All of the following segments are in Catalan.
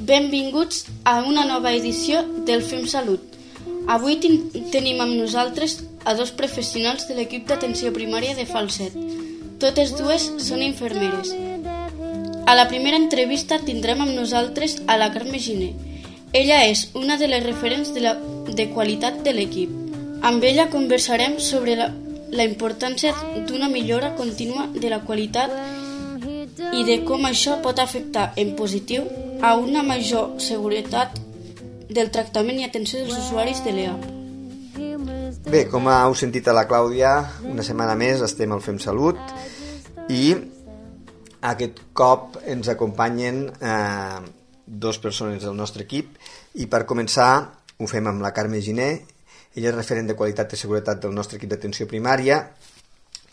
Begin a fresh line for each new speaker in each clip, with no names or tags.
Benvinguts a una nova edició del Fem Salut. Avui tenim amb nosaltres a dos professionals de l'equip d'atenció primària de Falset. Totes dues són infermeres. A la primera entrevista tindrem amb nosaltres a la Carme Giner. Ella és una de les referents de qualitat de l'equip. Amb ella conversarem sobre la importància d'una millora contínua de la qualitat i de com això pot afectar en positiu a una major seguretat del tractament i atenció dels usuaris de l'EA.
Bé, com heu sentit a la Clàudia, una setmana més estem al Fem Salut i aquest cop ens acompanyen dues persones del nostre equip i per començar ho fem amb la Carme Giner. Ella és referent de qualitat i seguretat del nostre equip d'atenció primària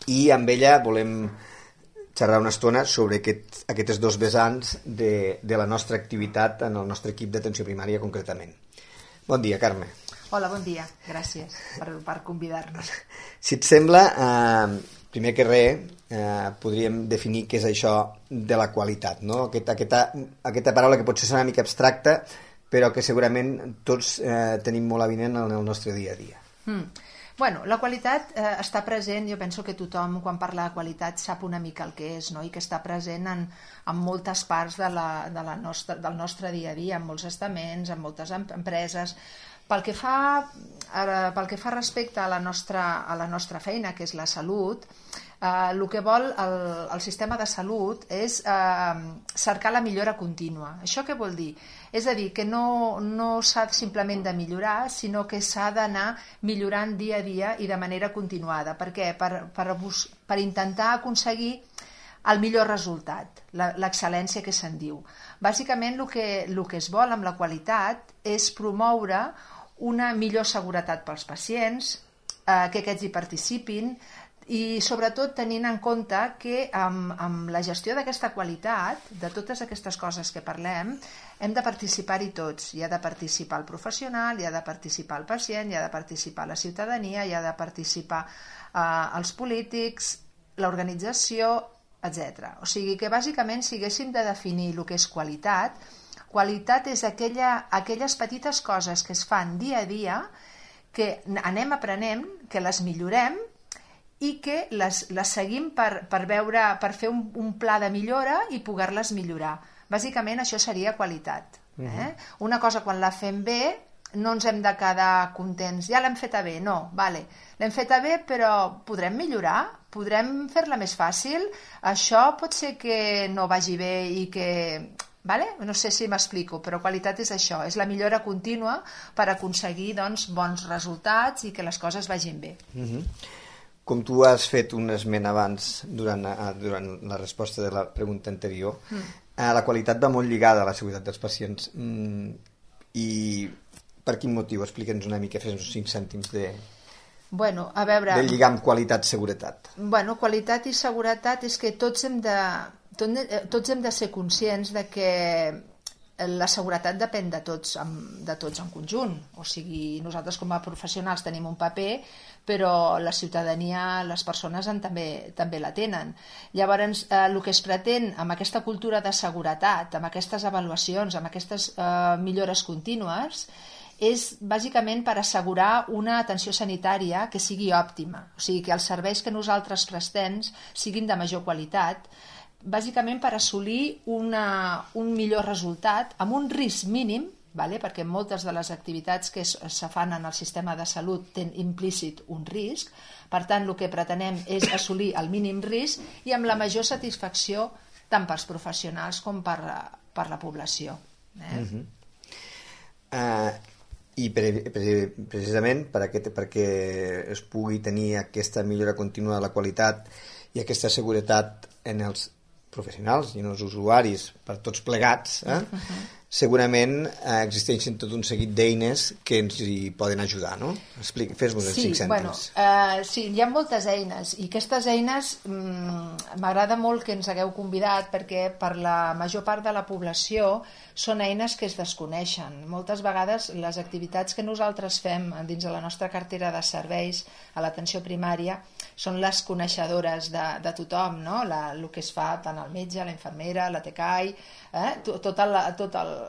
i amb ella volem xerrar una estona sobre aquests dos vessants de la nostra activitat en el nostre equip d'atenció primària concretament. Bon dia, Carme.
Hola, bon dia. Gràcies per convidar-nos.
Si et sembla, primer que res, podríem definir què és això de la qualitat, no? Aquesta paraula que potser és una mica abstracta, però que segurament tots tenim molt avinent en el nostre dia a dia.
Bueno, la qualitat està present, jo penso que tothom quan parla de qualitat sap una mica el que és, no? I que està present en moltes parts del nostre dia a dia, en molts estaments, en moltes empreses. Pel que fa respecte a la nostra feina, que és la salut, el que vol el sistema de salut és cercar la millora contínua. Això què vol dir? És a dir, que no s'ha simplement de millorar, sinó que s'ha d'anar millorant dia a dia i de manera continuada. Per què? Per intentar aconseguir el millor resultat, l'excel·lència que se'n diu. Bàsicament, el que es vol amb la qualitat és promoure una millor seguretat pels pacients, que aquests hi participin, i sobretot tenint en compte que amb la gestió d'aquesta qualitat, de totes aquestes coses que parlem, hem de participar-hi tots. Hi ha de participar el professional, hi ha de participar el pacient, hi ha de participar la ciutadania, hi ha de participar els polítics, l'organització, etc. O sigui que bàsicament si haguéssim de definir el que és qualitat, qualitat és aquelles petites coses que es fan dia a dia, que anem aprenent, que les millorem, i que les seguim per fer un pla de millora i poder-les millorar. Bàsicament això seria qualitat. Una cosa quan la fem bé no ens hem de quedar contents, ja l'hem feta bé, no, l'hem feta bé però podrem millorar, podrem fer-la més fàcil, això pot ser que no vagi bé i que... No sé si m'explico, però qualitat és això, és la millora contínua per aconseguir bons resultats i que les coses vagin bé.
Com tu has fet un esment abans durant la resposta de la pregunta anterior, la qualitat va molt lligada a la seguretat dels pacients. I per quin motiu? Explica'ns una mica, fes uns 5 cèntims de lligar amb qualitat-seguretat.
Qualitat i seguretat és que tots hem de ser conscients de que la seguretat depèn de tots en conjunt. O sigui, nosaltres com a professionals tenim un paper, però la ciutadania, les persones també la tenen. Llavors, el que es pretén amb aquesta cultura de seguretat, amb aquestes avaluacions, amb aquestes millores contínues, és bàsicament per assegurar una atenció sanitària que sigui òptima. O sigui, que els serveis que nosaltres prestem siguin de major qualitat, bàsicament per assolir un millor resultat amb un risc mínim, perquè moltes de les activitats que se fan en el sistema de salut tenen implícit un risc, per tant el que pretenem és assolir el mínim risc i amb la major satisfacció tant pels professionals com per la població.
I precisament perquè es pugui tenir aquesta millora contínua de la qualitat i aquesta seguretat en els professionals i en els usuaris, per tots plegats, segurament existeixen tot un seguit d'eines que ens hi poden ajudar, no? Fes-nos els 5 cèntims.
Sí, hi ha moltes eines i aquestes eines m'agrada molt que ens hagueu convidat perquè per la major part de la població són eines que es desconeixen. Moltes vegades les activitats que nosaltres fem dins de la nostra cartera de serveis a l'atenció primària són les coneixedores de tothom, no? El que es fa tant el metge, la infermera, la TCAI, tot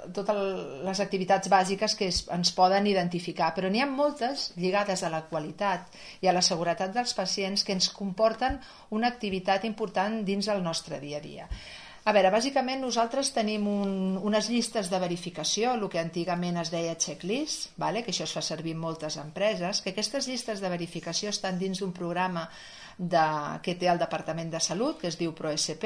les activitats bàsiques que ens poden identificar, però n'hi ha moltes lligades a la qualitat i a la seguretat dels pacients que ens comporten una activitat important dins el nostre dia a dia. A veure, bàsicament nosaltres tenim unes llistes de verificació, el que antigament es deia checklist, que això es fa servir en moltes empreses, que aquestes llistes de verificació estan dins d'un programa que té el Departament de Salut, que es diu ProSP,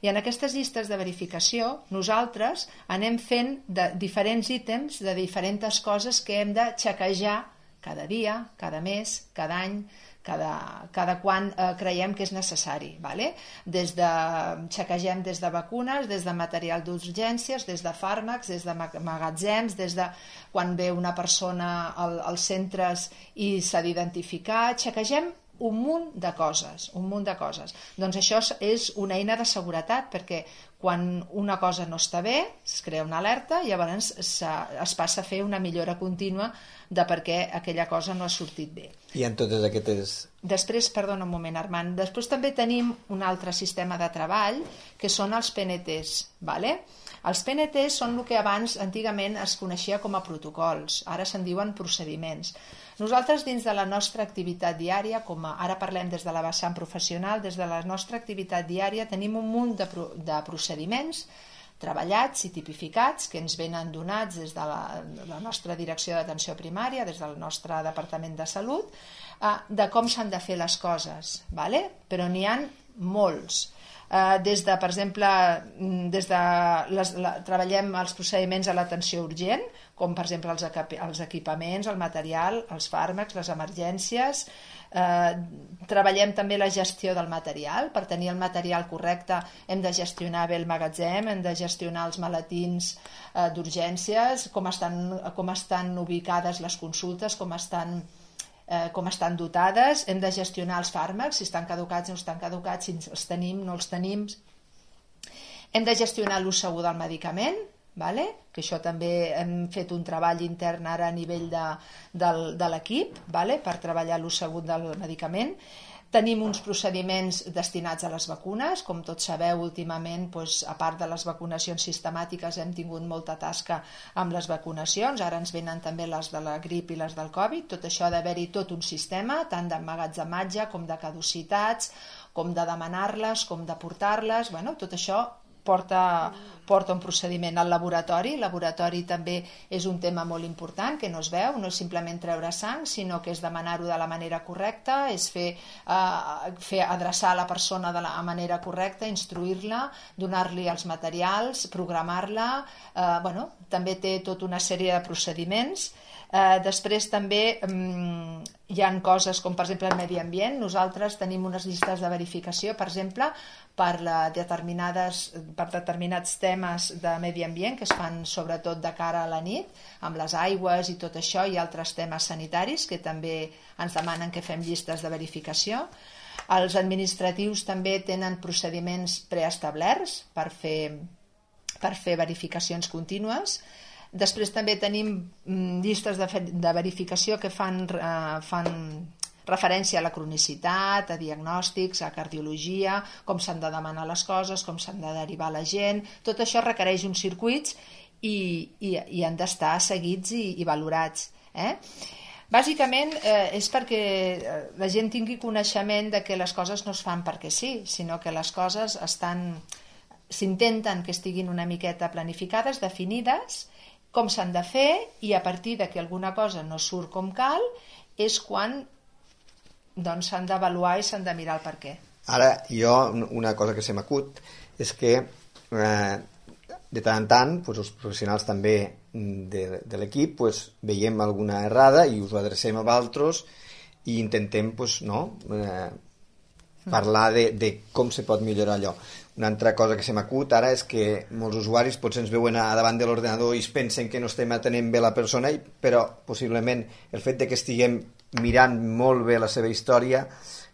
i en aquestes llistes de verificació nosaltres anem fent diferents ítems de diferents coses que hem de xequejar cada dia, cada mes, cada any, cada quan creiem que és necessari. Xequegem des de vacunes, des de material d'urgències, des de fàrmacs, des de magatzems, des de quan ve una persona als centres i s'ha d'identificar, xequegem un munt de coses. Doncs això és una eina de seguretat, perquè quan una cosa no està bé, es crea una alerta i llavors es passa a fer una millora contínua de per què aquella cosa no ha sortit bé.
I en totes aquestes...
Després, perdona un moment, Armand, després també tenim un altre sistema de treball que són els PNTs. Els PNTs són el que abans antigament es coneixia com a protocols, ara se'n diuen procediments. Nosaltres dins de la nostra activitat diària, ara parlem des de la vessant professional, des de la nostra activitat diària tenim un munt de procediments treballats i tipificats que ens venen donats des de la nostra direcció d'atenció primària, des del nostre Departament de Salut, de com s'han de fer les coses, però n'hi ha molts. Per exemple, treballem els procediments a l'atenció urgent, com per exemple els equipaments, el material, els fàrmacs, les emergències. Treballem també la gestió del material. Per tenir el material correcte hem de gestionar bé el magatzem, hem de gestionar els maletins d'urgències, com estan ubicades les consultes, com estan dotades, hem de gestionar els fàrmacs, si estan caducats o no estan caducats, si els tenim, no els tenim. Hem de gestionar l'ús segur del medicament, que això també hem fet un treball intern ara a nivell de l'equip per treballar l'ús segur del medicament. Tenim uns procediments destinats a les vacunes. Com tots sabeu, últimament, a part de les vacunacions sistemàtiques, hem tingut molta tasca amb les vacunacions. Ara ens venen també les de la grip i les del Covid. Tot això ha d'haver-hi tot un sistema, tant d'emmagatzematge com de caducitats, com de demanar-les, com de portar-les. Tot això porta un procediment al laboratori. El laboratori també és un tema molt important que no es veu, no és simplement treure sang, sinó que és demanar-ho de la manera correcta, és fer adreçar a la persona de la manera correcta, instruir-la, donar-li els materials, programar-la. També té tota una sèrie de procediments. Després també hi ha coses com per exemple el medi ambient. Nosaltres tenim unes llistes de verificació, per exemple, per determinats temes de medi ambient que es fan sobretot de cara a la nit, amb les aigües i tot això, i altres temes sanitaris que també ens demanen que fem llistes de verificació. Els administratius també tenen procediments preestablerts per fer verificacions contínues. Després també tenim llistes de verificació que fan referència a la cronicitat, a diagnòstics, a cardiologia, com s'han de demanar les coses, com s'han de derivar la gent. Tot això requereix uns circuits i han d'estar seguits i valorats. Bàsicament és perquè la gent tingui coneixement de que les coses no es fan perquè sí, sinó que les coses s'intenten que estiguin una miqueta planificades, definides, com s'han de fer, i a partir de que alguna cosa no surt com cal és quan s'han d'avaluar i s'han de mirar el per què.
Ara, una cosa que se m'acut és que de tant en tant els professionals també de l'equip veiem alguna errada i us ho adrecem a vosaltres i intentem parlar de com se pot millorar allò. Una altra cosa que se m'acut ara és que molts usuaris potser ens veuen davant de l'ordenador i es pensen que no estem atenent bé la persona, però possiblement el fet que estiguem mirant molt bé la seva història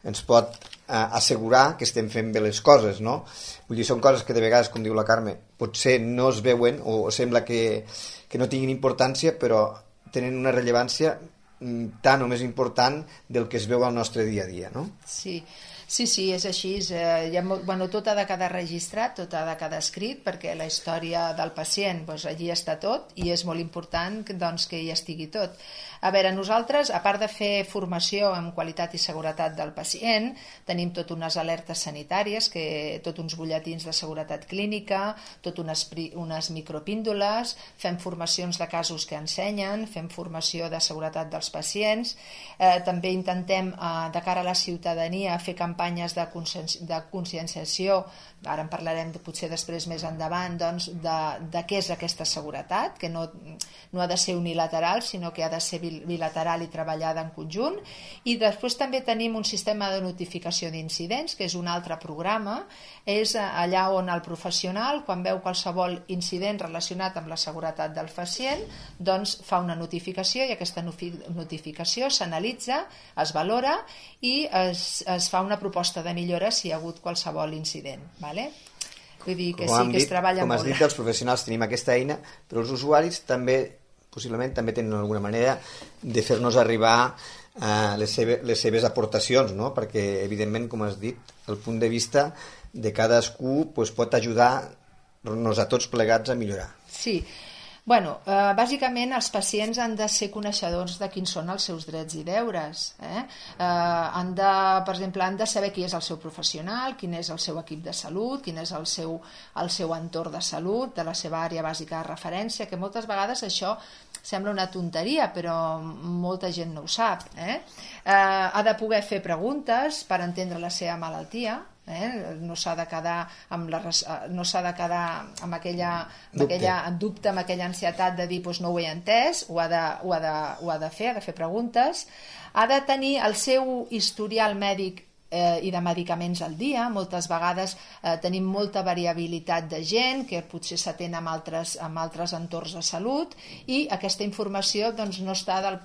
ens pot assegurar que estem fent bé les coses, no? Vull dir, són coses que de vegades, com diu la Carme, potser no es veuen o sembla que no tinguin importància, però tenen una rellevància tant o més important del que es veu al nostre dia a dia, no?
Sí. Sí, és així. Tot ha de quedar registrat, tot ha de quedar escrit, perquè la història del pacient, allí està tot, i és molt important que hi estigui tot. A veure, nosaltres, a part de fer formació en qualitat i seguretat del pacient, tenim tot unes alertes sanitàries, tot uns butlletins de seguretat clínica, tot unes micropíndoles, fem formacions de casos que ensenyen, fem formació de seguretat dels pacients, també intentem, de cara a la ciutadania, fer campanyes de conscienciació, ara en parlarem potser després més endavant, de què és aquesta seguretat, que no ha de ser unilateral, sinó que ha de ser bilateral i treballada en conjunt. I després també tenim un sistema de notificació d'incidents, que és un altre programa, és allà on el professional, quan veu qualsevol incident relacionat amb la seguretat del pacient, doncs fa una notificació, i aquesta notificació s'analitza, es valora i es fa una proposta de millora si hi ha hagut qualsevol incident. Vull dir que sí, que es treballa molt.
Com has dit, els professionals tenim aquesta eina, però els usuaris possiblement també tenen alguna manera de fer-nos arribar les seves aportacions, no? Perquè, evidentment, com has dit, el punt de vista de cadascú pot ajudar-nos a tots plegats a millorar.
Sí. Bàsicament els pacients han de ser coneixedors de quins són els seus drets i deures. Per exemple, han de saber qui és el seu professional, quin és el seu equip de salut, quin és el seu entorn de salut, de la seva àrea bàsica de referència, que moltes vegades això sembla una tonteria, però molta gent no ho sap. Ha de poder fer preguntes per entendre la seva malaltia, no s'ha de quedar amb aquella dubte, amb aquella ansietat de dir no ho he entès, ho ha de fer preguntes, ha de tenir el seu historial mèdic i de medicaments al dia. Moltes vegades tenim molta variabilitat de gent que potser s'atén amb altres entorns de salut, i aquesta informació no està del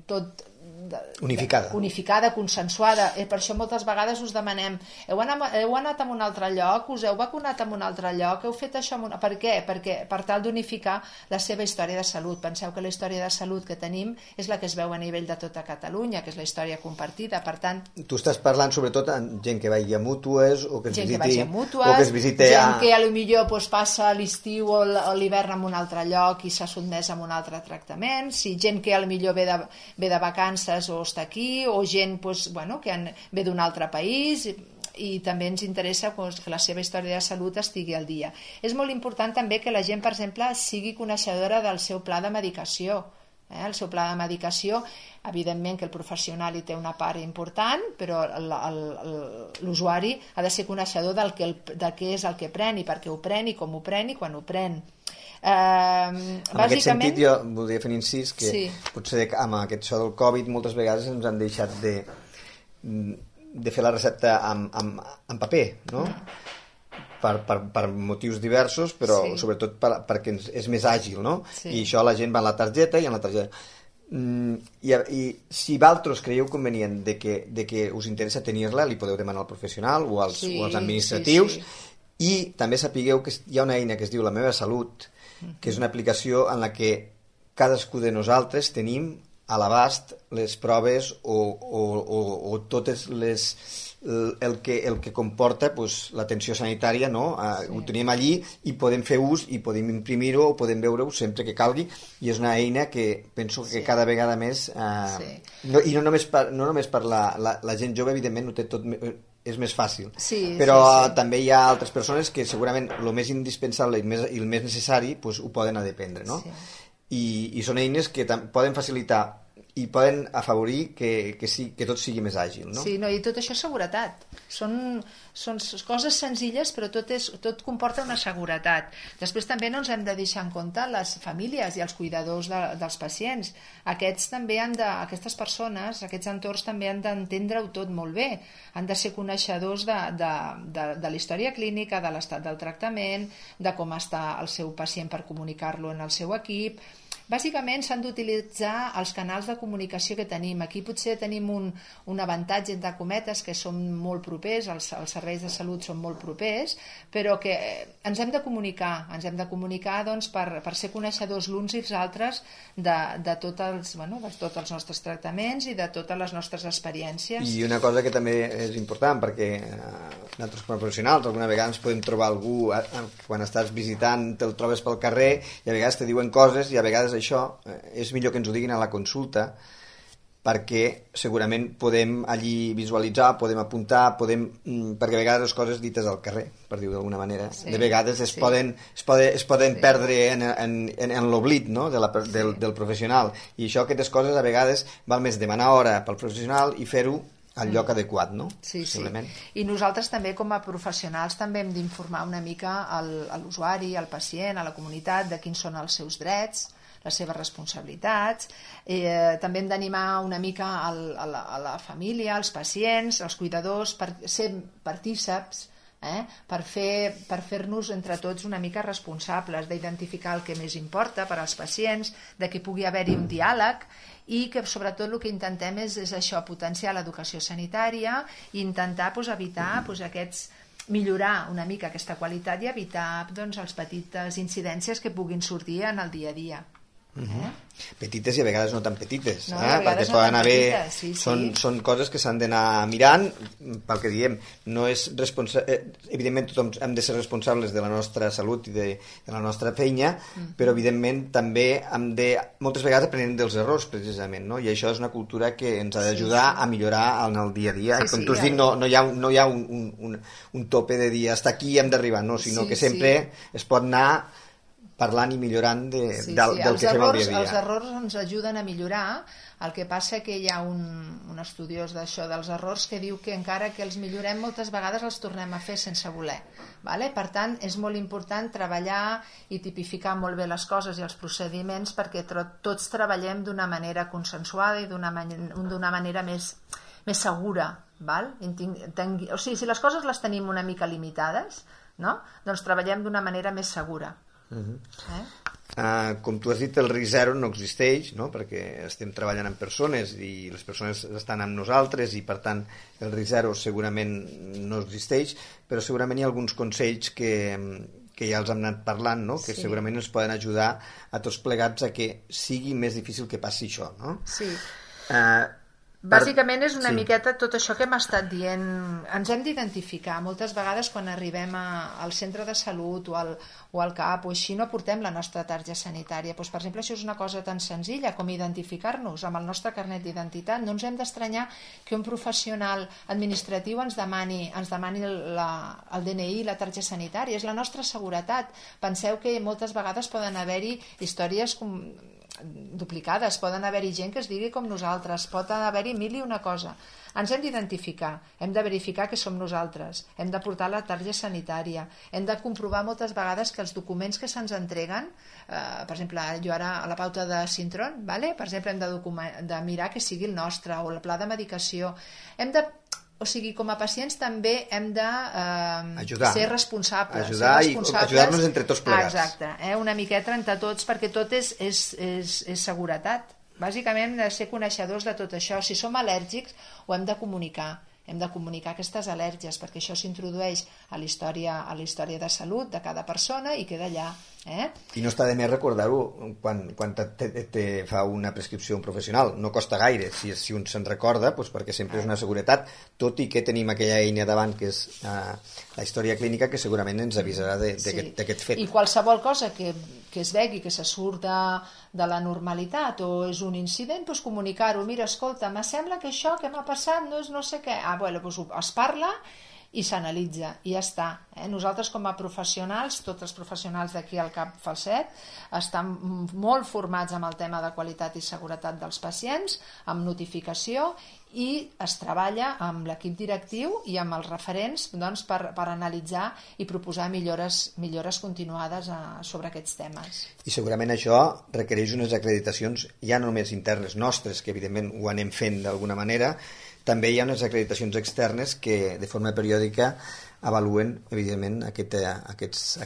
tot unificada, consensuada. Per això moltes vegades us demanem: heu anat a un altre lloc, us heu vacunat en un altre lloc, heu fet això... Per què? Perquè per tal d'unificar la seva història de salut. Penseu que la història de salut que tenim és la que es veu a nivell de tota Catalunya, que és la història compartida. Per tant,
tu estàs parlant sobretot amb gent que vagi a mútues, o que es visiti
gent que potser passa l'estiu o l'hivern en un altre lloc i s'ha sotmès a un altre tractament, gent que potser ve de vacances o està aquí, o gent que ve d'un altre país, i també ens interessa que la seva història de salut estigui al dia. És molt important també que la gent, per exemple, sigui coneixedora del seu pla de medicació. El seu pla de medicació, evidentment que el professional hi té una part important, però l'usuari ha de ser coneixedor de què és el que pren, i per què ho pren, i com ho pren, i quan ho pren.
En aquest sentit jo voldria fer un incís que potser amb aquest això del Covid moltes vegades ens han deixat de fer la recepta en paper, no? Per motius diversos, però sobretot perquè és més àgil, no? I això la gent va a la targeta i en la targeta. I si vosaltres creieu convenient de que us interessa tenir-la, li podeu demanar al professional o als administratius, i també sapigueu que hi ha una eina que es diu La Meva Salut, que és una aplicació en la que cadascú de nosaltres tenim a l'abast les proves o totes el que comporta l'atenció sanitària, no? Ho tenim allí i podem fer ús i podem imprimir-ho o podem veure-ho sempre que calgui, i és una eina que penso que cada vegada més i no només per la gent jove, evidentment ho té tot, és més fàcil, però també hi ha altres persones que segurament el més indispensable i el més necessari ho poden dependre, no? I són eines que poden facilitar i poden afavorir que tot sigui més àgil, no?
Sí, i tot això és seguretat. Són coses senzilles, però tot comporta una seguretat. Després també no ens hem de deixar en compte les famílies i els cuidadors dels pacients. Aquestes persones, aquests entorns també han d'entendre-ho tot molt bé. Han de ser coneixedors de la història clínica, de l'estat del tractament, de com està el seu pacient per comunicar-lo en el seu equip. Bàsicament s'han d'utilitzar els canals de comunicació que tenim. Aquí potser tenim un avantatge, entre cometes, que som molt propers, els serveis de salut són molt propers, però que ens hem de comunicar doncs, per ser coneixedors l'uns i els altres de tots els nostres tractaments i de totes les nostres experiències.
I una cosa que també és important, perquè nosaltres com a professionals alguna vegada ens podem trobar algú quan estàs visitant, te'l trobes pel carrer i a vegades te diuen coses i a vegades això és millor que ens ho diguin a la consulta, perquè segurament podem allí visualitzar, podem apuntar, perquè a vegades les coses dites al carrer, per dir-ho d'alguna manera, de vegades es poden perdre en l'oblit, no? del professional, i això, aquestes coses a vegades val més demanar hora pel professional i fer-ho al lloc adequat, no?
Sí. I nosaltres també com a professionals també hem d'informar una mica a l'usuari, al pacient, a la comunitat de quins són els seus drets, les seves responsabilitats. També hem d'animar una mica a la família, als pacients, als cuidadors, per ser partíceps, per fer-nos entre tots una mica responsables d'identificar el que més importa per als pacients, de que pugui haver-hi un diàleg i que sobretot el que intentem és això, potenciar l'educació sanitària i intentar evitar millorar una mica aquesta qualitat i evitar les petites incidències que puguin sortir en el dia a dia.
Petites i a vegades no tan petites, perquè poden haver... Són coses que s'han d'anar mirant, pel que diem, no és evidentment tothom hem de ser responsables de la nostra salut i de la nostra feina, però evidentment també moltes vegades aprenem dels errors precisament, no? I això és una cultura que ens ha d'ajudar a millorar en el dia a dia, i com tu has dit, no hi ha un tope de dir hasta aquí hem d'arribar, sinó que sempre es pot anar parlant i millorant del que fem al dia a dia.
Els errors ens ajuden a millorar, el que passa que hi ha un estudiós d'això dels errors que diu que encara que els millorem moltes vegades els tornem a fer sense voler. Per tant, és molt important treballar i tipificar molt bé les coses i els procediments perquè tots treballem d'una manera consensuada i d'una manera més segura. O sigui, si les coses les tenim una mica limitades, doncs treballem d'una manera més segura.
Com tu has dit, el risc zero no existeix, perquè estem treballant amb persones i les persones estan amb nosaltres i per tant el risc zero segurament no existeix, però segurament hi ha alguns consells que ja els hem anat parlant, que segurament ens poden ajudar a tots plegats a que sigui més difícil que passi això, no?
Sí. Bàsicament és una miqueta tot això que hem estat dient. Ens hem d'identificar. Moltes vegades quan arribem al centre de salut o al CAP o així no portem la nostra targeta sanitària. Per exemple, això és una cosa tan senzilla com identificar-nos amb el nostre carnet d'identitat. No ens hem d'estranyar que un professional administratiu ens demani el DNI i la targeta sanitària. És la nostra seguretat. Penseu que moltes vegades poden haver-hi històries duplicades, poden haver-hi gent que es digui com nosaltres, pot haver-hi mil i una cosa. Ens hem d'identificar, hem de verificar que som nosaltres, hem de portar la targeta sanitària, hem de comprovar moltes vegades que els documents que se'ns entreguen, per exemple, jo ara a la pauta de Sintron, per exemple, hem de mirar que sigui el nostre, o el pla de medicació, o sigui, com a pacients també hem de ser responsables.
Ajudar-nos entre tots plegats.
Exacte, una miqueta entre tots, perquè tot és seguretat. Bàsicament hem de ser coneixedors de tot això. Si som al·lèrgics, ho hem de comunicar. Hem de comunicar aquestes al·lèrgies, perquè això s'introdueix a la història de salut de cada persona i queda allà.
I no està de més recordar-ho quan te fa una prescripció un professional. No costa gaire, si un se'n recorda, perquè sempre és una seguretat, tot i que tenim aquella eina davant que és la història clínica, que segurament ens avisarà d'aquest fet.
I qualsevol cosa que es vegi que se surt de la normalitat o és un incident, doncs comunicar-ho. Mira, escolta, me sembla que això que m'ha passat no és no sé què. Doncs es parla i s'analitza, i ja està. Nosaltres com a professionals, tots els professionals d'aquí al CAP Falset, estan molt formats amb el tema de qualitat i seguretat dels pacients, amb notificació, i es treballa amb l'equip directiu i amb els referents per analitzar i proposar millores continuades sobre aquests temes.
I segurament això requereix unes acreditacions ja no només internes nostres, que evidentment ho anem fent d'alguna manera. També hi ha unes acreditacions externes que de forma periòdica avaluen, evidentment, aquestes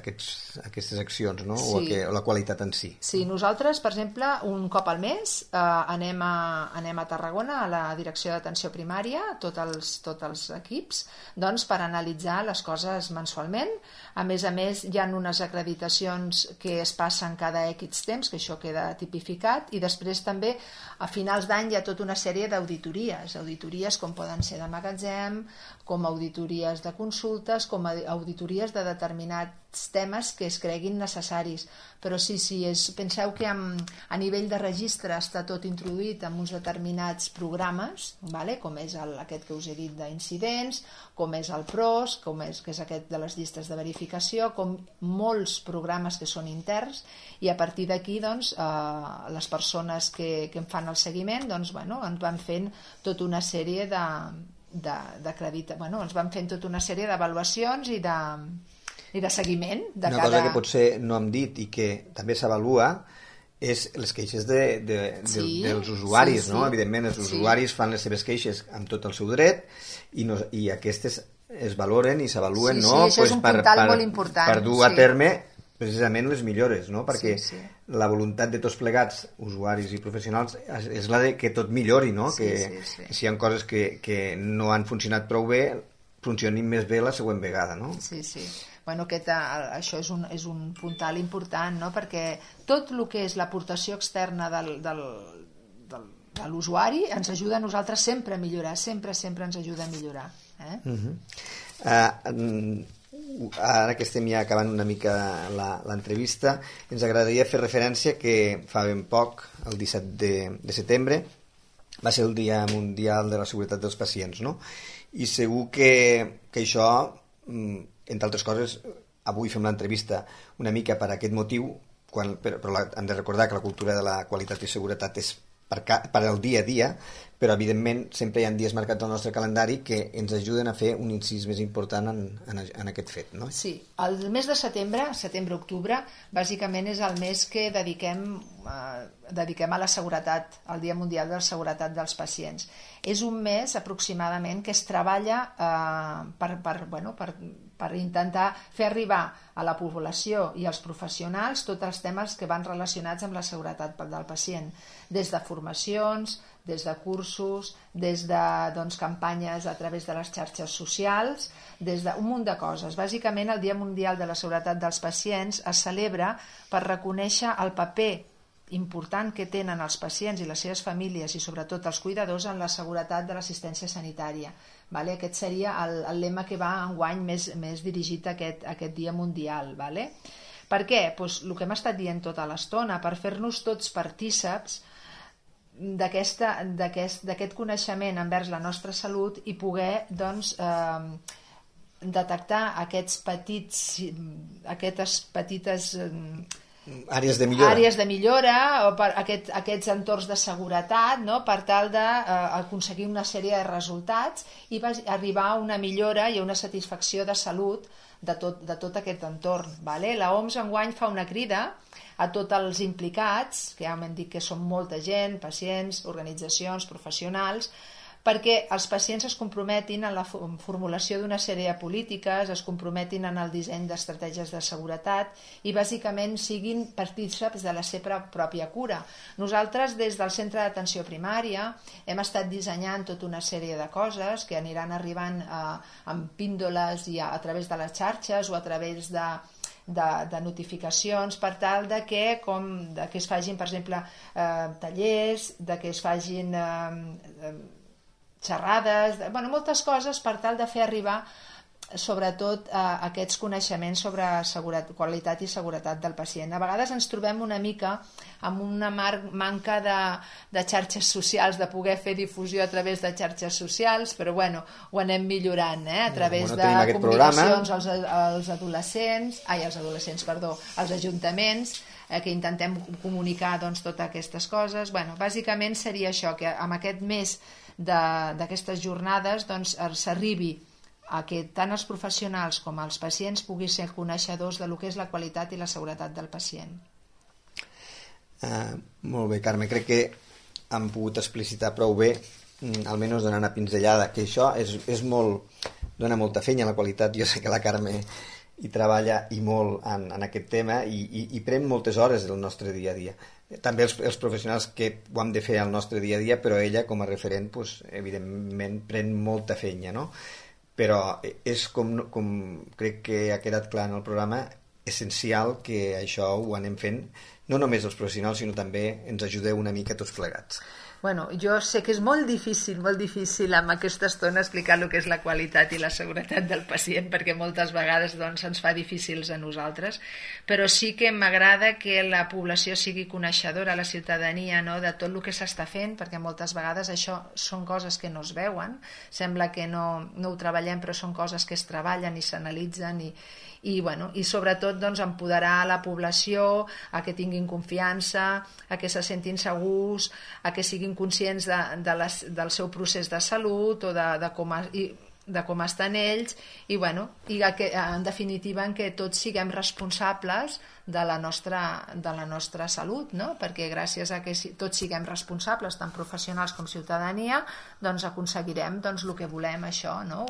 accions, no? O la qualitat en si.
Sí, nosaltres, per exemple, un cop al mes anem a Tarragona, a la Direcció d'Atenció Primària, tots els equips, doncs, per analitzar les coses mensualment. A més, hi ha unes acreditacions que es passen cada X temps, que això queda tipificat, i després també, a finals d'any, hi ha tota una sèrie d'auditories com poden ser de magatzem, com auditories de consultes, com auditories de determinats temes que es creguin necessaris. Però sí, penseu que a nivell de registre està tot introduït en uns determinats programes, com és aquest que us he dit d'incidents, com és el PROS, que és aquest de les llistes de verificació, com molts programes que són interns, i a partir d'aquí les persones que en fan el seguiment ens van fent tota una sèrie ens van fent tota una sèrie d'avaluacions i de seguiment de
una cosa que potser no hem dit i que també s'avalua és les queixes dels usuaris, no? Evidentment els usuaris fan les seves queixes amb tot el seu dret i aquestes es valoren i s'avaluen, no?
Això és un puntal molt important,
per dur a terme precisament les millores, no? Perquè la voluntat de tots plegats, usuaris i professionals, és la de que tot millori, no? Que si hi ha coses que no han funcionat prou bé, funcionin més bé la següent vegada, no?
Sí. Bueno, això és un puntal important, no? Perquè tot el que és l'aportació externa de l'usuari ens ajuda a nosaltres sempre a millorar, sempre ens ajuda a millorar.
Ara que estem ja acabant una mica l'entrevista, ens agradaria fer referència que fa ben poc, el 17 de setembre, va ser el Dia Mundial de la Seguretat dels Pacients, no? I segur que això, entre altres coses, avui fem l'entrevista una mica per aquest motiu, però hem de recordar que la cultura de la qualitat i seguretat és per al dia a dia, però evidentment sempre hi ha dies marcats al nostre calendari que ens ajuden a fer un incís més important en aquest fet, no?
Sí, el mes de setembre-octubre, bàsicament és el mes que dediquem a la seguretat, al Dia Mundial de la Seguretat dels Pacients. És un mes aproximadament que es treballa per intentar fer arribar a la població i als professionals tots els temes que van relacionats amb la seguretat del pacient, des de formacions, des de cursos, des de campanyes a través de les xarxes socials, des d'un munt de coses. Bàsicament, el Dia Mundial de la Seguretat dels Pacients es celebra per reconèixer el paper important que tenen els pacients i les seves famílies i sobretot els cuidadors en la seguretat de l'assistència sanitària. Aquest seria el lema que va enguany més dirigit a aquest Dia Mundial. Per què? El que hem estat dient tota l'estona, per fer-nos tots partíceps d'aquest coneixement envers la nostra salut i poder detectar aquestes petites
àrees de millora
o per aquests entorns de seguretat, no? Per tal d'aconseguir una sèrie de resultats i arribar a una millora i a una satisfacció de salut de tot aquest entorn. La OMS enguany fa una crida a tots els implicats, que ja hem dit que són molta gent, pacients, organitzacions, professionals, perquè els pacients es comprometin en la formulació d'una sèrie de polítiques, es comprometin en el disseny d'estratègies de seguretat i bàsicament siguin partíceps de la seva pròpia cura. Nosaltres des del Centre d'Atenció Primària hem estat dissenyant tota una sèrie de coses que aniran arribant amb píndoles i a través de les xarxes o a través de notificacions per tal que es facin, per exemple, tallers, que es facin xerrades, moltes coses per tal de fer arribar sobretot aquests coneixements sobre qualitat i seguretat del pacient. A vegades ens trobem una mica amb una manca de xarxes socials, de poder fer difusió a través de xarxes socials, però ho anem millorant a través de comunicacions als ajuntaments, que intentem comunicar totes aquestes coses. Bàsicament seria això, que amb aquest mes d'aquestes jornades s'arribi a que tant els professionals com els pacients puguin ser coneixedors de lo que és la qualitat i la seguretat del pacient.
Molt bé, Carme, crec que hem pogut explicitar prou bé, almenys donant una pinzellada, que això és molt dona molta feina la qualitat. Jo sé que la Carme hi treballa i molt en aquest tema i pren moltes hores del nostre dia a dia. També els professionals que ho hem de fer al nostre dia a dia, però ella com a referent doncs, evidentment pren molta feina, no? Però és com crec que ha quedat clar en el programa, essencial que això ho anem fent, no només els professionals, sinó també ens ajudeu una mica tots plegats.
Bueno, jo sé que és molt difícil amb aquesta estona explicar el que és la qualitat i la seguretat del pacient, perquè moltes vegades doncs, ens fa difícils a nosaltres, però sí que m'agrada que la població sigui coneixedora, la ciutadania, no?, de tot el que s'està fent, perquè moltes vegades això són coses que no es veuen, sembla que no ho treballem, però són coses que es treballen i s'analitzen i sobretot doncs, empoderar la població a que tinguin confiança, a que se sentin segurs, a que siguin conscients del seu procés de salut o de com estan ells i que, en definitiva que tots siguem responsables de la nostra salut, no? Perquè gràcies a que tots siguem responsables, tant professionals com ciutadania, doncs aconseguirem el que volem, això, no?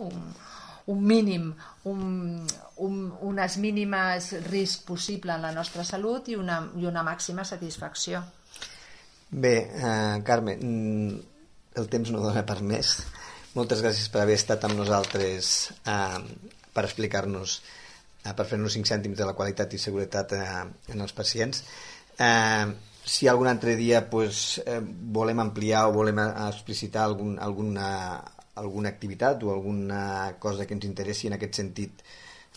Un mínim, unes mínimes risc possible en la nostra salut i una màxima satisfacció.
Bé, Carme, el temps no dona per més. Moltes gràcies per haver estat amb nosaltres per explicar-nos, per fer-nos 5 cèntims de la qualitat i seguretat en els pacients. Si algun altre dia volem ampliar o volem explicitar alguna activitat o alguna cosa que ens interessi en aquest sentit,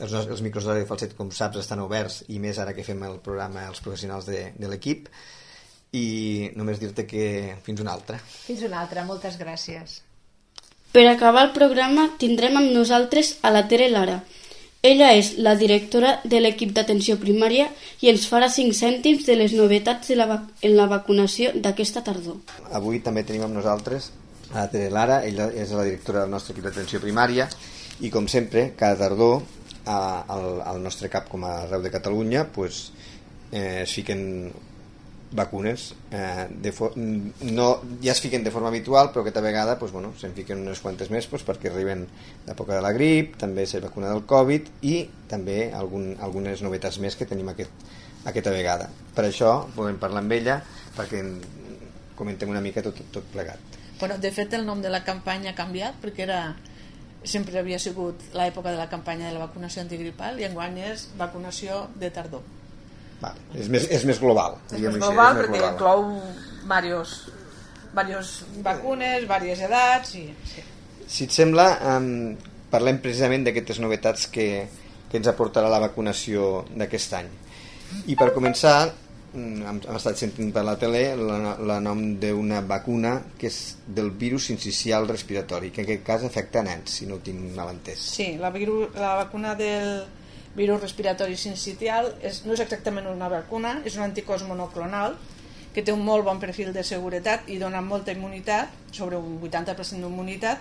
els micros de Falset, com saps, estan oberts, i més ara que fem el programa els professionals de l'equip, i només dir-te que fins una altra.
Fins una altra, moltes gràcies.
Per acabar el programa tindrem amb nosaltres a la Tere Lara. Ella és la directora de l'equip d'atenció primària i ens farà 5 cèntims de les novetats en la vacunació d'aquesta tardor.
Avui també tenim amb nosaltres a la Tere Lara, ella és la directora del nostre equip d'atenció primària, i com sempre, cada tardor al nostre CAP, com a arreu de Catalunya, es fiquen vacunes, ja es fiquen de forma habitual, però aquesta vegada se'n fiquen unes quantes més perquè arriben l'època de la grip, també s'ha vacunat del Covid i també algunes novetats més que tenim aquesta vegada. Per això podem parlar amb ella perquè comentem una mica tot plegat.
Bueno, de fet el nom de la campanya ha canviat perquè sempre havia sigut l'època de la campanya de la vacunació antigripal i enguany és vacunació de tardor.
És més global.
És més global perquè inclou diverses vacunes, diverses edats.
Si et sembla, parlem precisament d'aquestes novetats que ens aportarà la vacunació d'aquest any. I per començar, hem estat sentint per la tele el nom d'una vacuna que és del virus sincicial respiratori, que en aquest cas afecta a nens, si no ho tinc mal entès.
Sí, la vacuna del virus respiratori sincicial no és exactament una vacuna, és un anticòs monoclonal que té un molt bon perfil de seguretat i dona molta immunitat, sobre un 80% d'immunitat,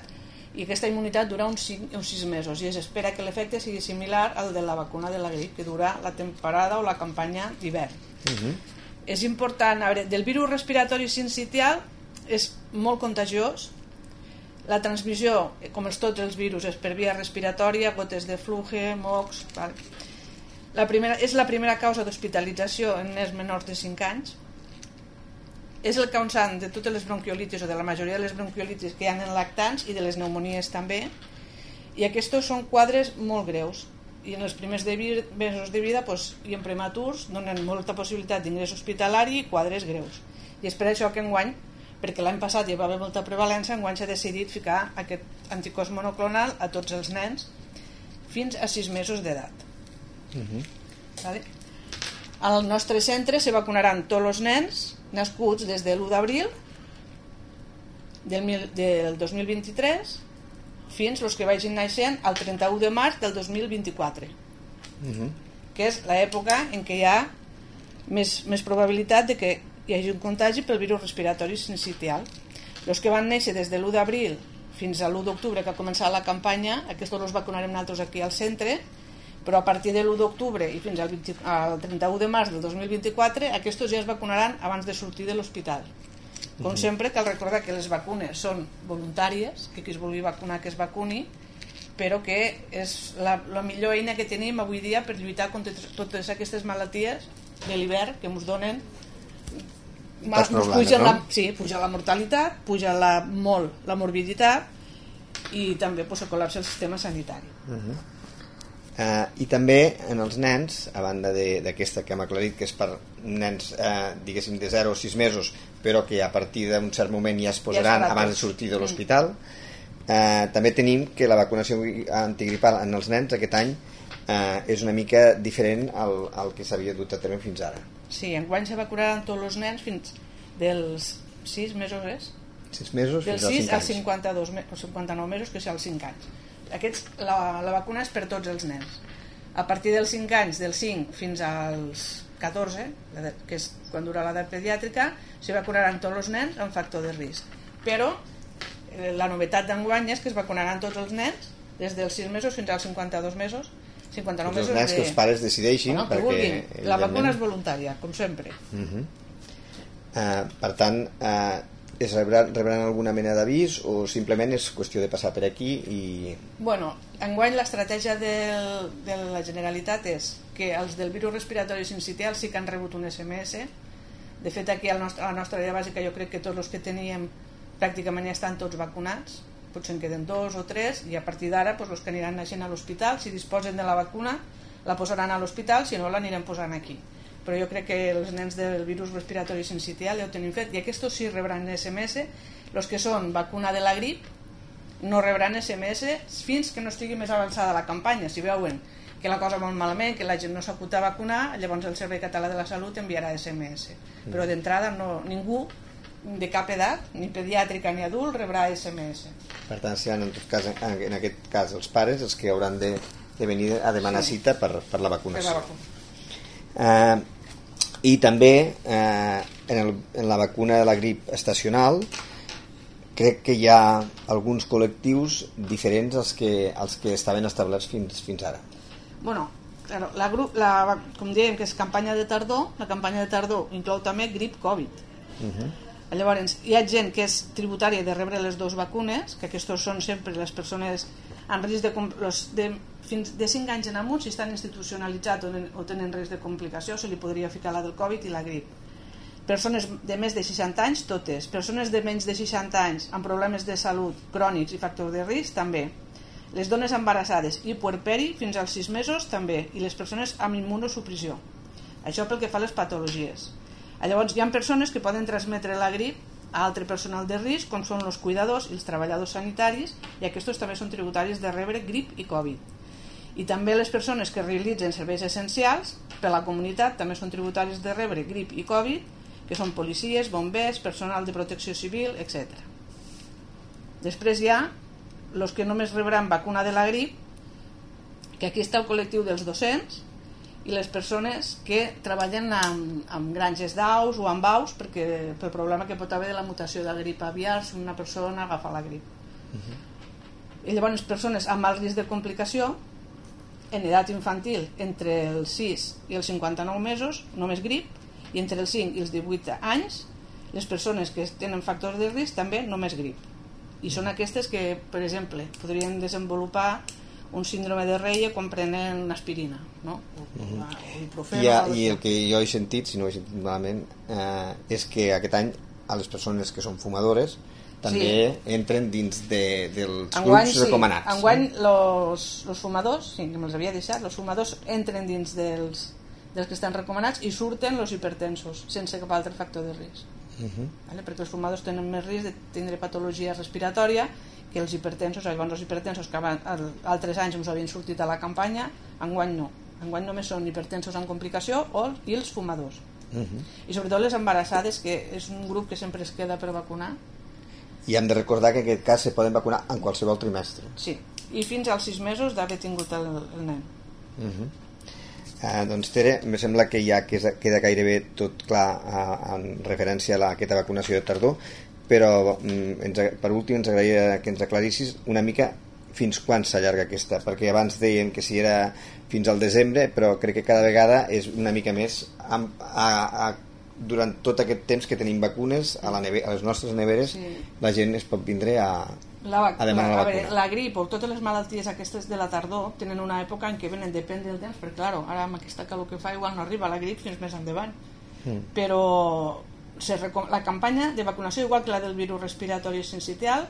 i aquesta immunitat dura uns 6 mesos i es espera que l'efecte sigui similar al de la vacuna de la grip, que dura la temporada o la campanya d'hivern. És important, del virus respiratori sincicial és molt contagiós. La transmissió, com tots els virus, és per via respiratòria, gotes de fluxe, mocs. És la primera causa d'hospitalització en nens menors de 5 anys. És el causant de totes les bronquiolitis o de la majoria de les bronquiolitis que hi ha en lactants i de les pneumonies també. I aquests són quadres molt greus. I en els primers mesos de vida i en prematurs donen molta possibilitat d'ingrés hospitalari i quadres greus. I és per això que enguany, perquè l'any passat hi va haver molta prevalència, enguany s'ha decidit ficar aquest anticòs monoclonal a tots els nens fins a 6 mesos d'edat. Al nostre centre se vacunaran tots els nens nascuts des de l'1 d'abril del 2023 fins els que vagin naixent al 31 de març del 2024, que és l'època en què hi ha més probabilitat de que hi hagi un contagi pel virus respiratori sincicial. Els que van néixer des de l'1 d'abril fins a l'1 d'octubre, que ha començat la campanya, aquests els vacunarem nosaltres aquí al centre, però a partir de l'1 d'octubre i fins al 31 de març del 2024 aquests ja es vacunaran abans de sortir de l'hospital. Com sempre, cal recordar que les vacunes són voluntàries, que qui es vulgui vacunar que es vacuni, però que és la millor eina que tenim avui dia per lluitar contra totes aquestes malalties de l'hivern que ens donen. Puja la mortalitat, puja molt la morbiditat i també pues, col·lapsa el sistema sanitari.
I també en els nens, a banda d'aquesta que hem aclarit que és per nens diguéssim de 0 a 6 mesos, però que a partir d'un cert moment ja es posaran abans de sortir de l'hospital, també tenim que la vacunació antigripal en els nens aquest any és una mica diferent al que s'havia dut a terme fins ara.
Sí, enguany se vacunaran tots els nens fins dels 6 mesos,
6 mesos
fins als 5 anys. Dels 6 als 59 mesos, que és als 5 anys. La vacuna és per tots els nens. A partir dels 5 anys, dels 5 fins als 14, que és quan dura l'edat pediàtrica, se vacunaran tots els nens amb factor de risc. Però la novetat d'enguany és que es vacunaran tots els nens des dels 6 mesos fins als 52 mesos, 59 mesos.
Els nens que els pares decideixin,
perquè la vacuna és voluntària, com sempre.
Per tant, rebran alguna mena d'avís o simplement és qüestió de passar per aquí i...
Bueno, enguany l'estratègia de la Generalitat és que els del virus respiratori sincitial sí que han rebut un SMS. De fet, aquí a la nostra àrea bàsica jo crec que tots els que teníem pràcticament ja estan tots vacunats, potser en queden 2 o 3 i a partir d'ara doncs, els que aniran naixent a l'hospital, si disposen de la vacuna la posaran a l'hospital, si no l'anirem posant aquí. Però jo crec que els nens del virus respiratori sincitial ja ho tenim fet i aquests sí rebran SMS. Els que són vacuna de la grip no rebran SMS fins que no estigui més avançada la campanya. Si veuen que la cosa va molt malament, que la gent no s'apunta a vacunar, llavors el Servei Català de la Salut enviarà SMS. Però d'entrada ningú de cap edat, ni pediàtrica ni adult, rebrà SMS.
Per tant, seran en aquest cas els pares els que hauran de venir a demanar cita per la vacunació. I també en la vacuna de la grip estacional crec que hi ha alguns col·lectius diferents als que estaven establerts fins ara.
Bueno, claro, com dèiem que és campanya de tardor, la campanya de tardor inclou també grip Covid. Llavors hi ha gent que és tributària de rebre les dues vacunes, que aquests són sempre les persones en risc fins de 5 anys en amunt, si estan institucionalitzats o tenen risc de complicació, se li podria ficar la del Covid i la grip. Persones de més de 60 anys, totes. Persones de menys de 60 anys amb problemes de salut crònics i factors de risc, també. Les dones embarassades i puerperi fins als 6 mesos, també. I les persones amb immunosupressió. Això pel que fa a les patologies. Llavors hi ha persones que poden transmetre la grip a altre personal de risc, com són els cuidadors i els treballadors sanitaris, i aquests també són tributaris de rebre grip i Covid. I també les persones que realitzen serveis essencials per a la comunitat també són tributaris de rebre grip i Covid, que són policies, bombers, personal de protecció civil, etc. Després hi ha els que només rebran vacuna de la grip, que aquí està el col·lectiu dels docents i les persones que treballen amb granges d'aus o amb aus pel problema que pot haver de la mutació de grip aviar si una persona agafa la grip. I llavors persones amb alt risc de complicació en edat infantil entre els 6 i els 59 mesos només grip, i entre els 5 i els 18 anys les persones que tenen factors de risc també només grip. I són aquestes que, per exemple, podrien desenvolupar un síndrome de Reie quan prenen aspirina, no?
I el que jo he sentit, si no ho he sentit malament, és que aquest any a les persones que són fumadores també entren dins dels grups recomanats.
Enguany els fumadors, sí, que me'ls havia deixat, els fumadors entren dins dels que estan recomanats i surten els hipertensos sense cap altre factor de risc. Perquè els fumadors tenen més risc de tindre patologia respiratòria que els hipertensos. Llavors els hipertensos que altres anys ens havien sortit a la campanya, enguany no. Enguany només són hipertensos amb complicació i els fumadors. I sobretot les embarassades, que és un grup que sempre es queda per vacunar.
I hem de recordar que en aquest cas se poden vacunar en qualsevol trimestre.
Sí, i fins als 6 mesos d'haver tingut el nen.
Doncs Tere, em sembla que ja queda gairebé tot clar en referència a aquesta vacunació de tardor, però per últim ens agradaria que ens aclarissis una mica fins quan s'allarga aquesta, perquè abans deien que si era fins al desembre, però crec que cada vegada és una mica més durant tot aquest temps que tenim vacunes a les nostres neveres, la gent es pot vindre a demanar la vacuna.
La grip o totes les malalties aquestes de la tardor tenen una època en què venen, depèn del temps, perquè clar, ara amb aquesta calor que fa igual no arriba la grip fins més endavant. Però la campanya de vacunació, igual que la del virus respiratori sincitial,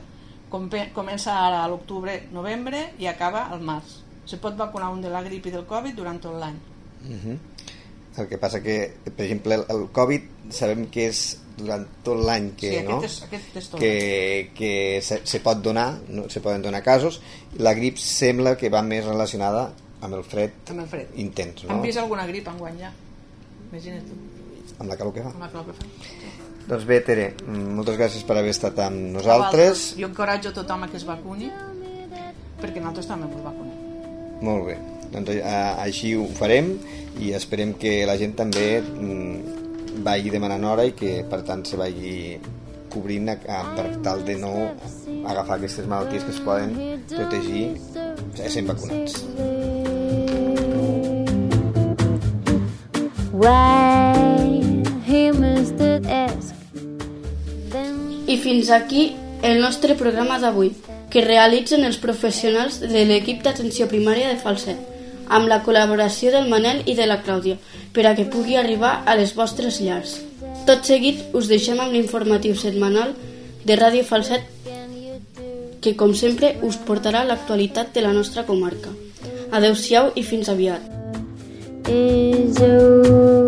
comença ara a l'octubre, novembre i acaba al març. Se pot vacunar un de la grip i del Covid durant tot l'any.
El que passa que, per exemple, el Covid sabem que és durant tot l'any que,
aquest és tot.
que se pot donar, no? Se poden donar casos, i la grip sembla que va més relacionada amb el fred intens, no?
Han vist alguna grip enguany ja? Imagina't tu.
Amb la calor que fa.
Amb la calor que fa.
Doncs bé, Tere, moltes gràcies per haver estat amb nosaltres.
Jo encoratjo a tothom a que es vacuni, perquè nosaltres també ens vacunem.
Molt bé, doncs així ho farem i esperem que la gent també vagi demanant hora i que per tant se vagi cobrint per tal de no agafar aquestes malalties que es poden protegir sent vacunats.
I fins aquí el nostre programa d'avui, que realitzen els professionals de l'equip d'atenció primària de Falset, amb la col·laboració del Manel i de la Clàudia, per a que pugui arribar a les vostres llars. Tot seguit us deixem amb l'informatiu setmanal de Ràdio Falset, que com sempre us portarà l'actualitat de la nostra comarca. Adeu-siau i fins aviat. Is over.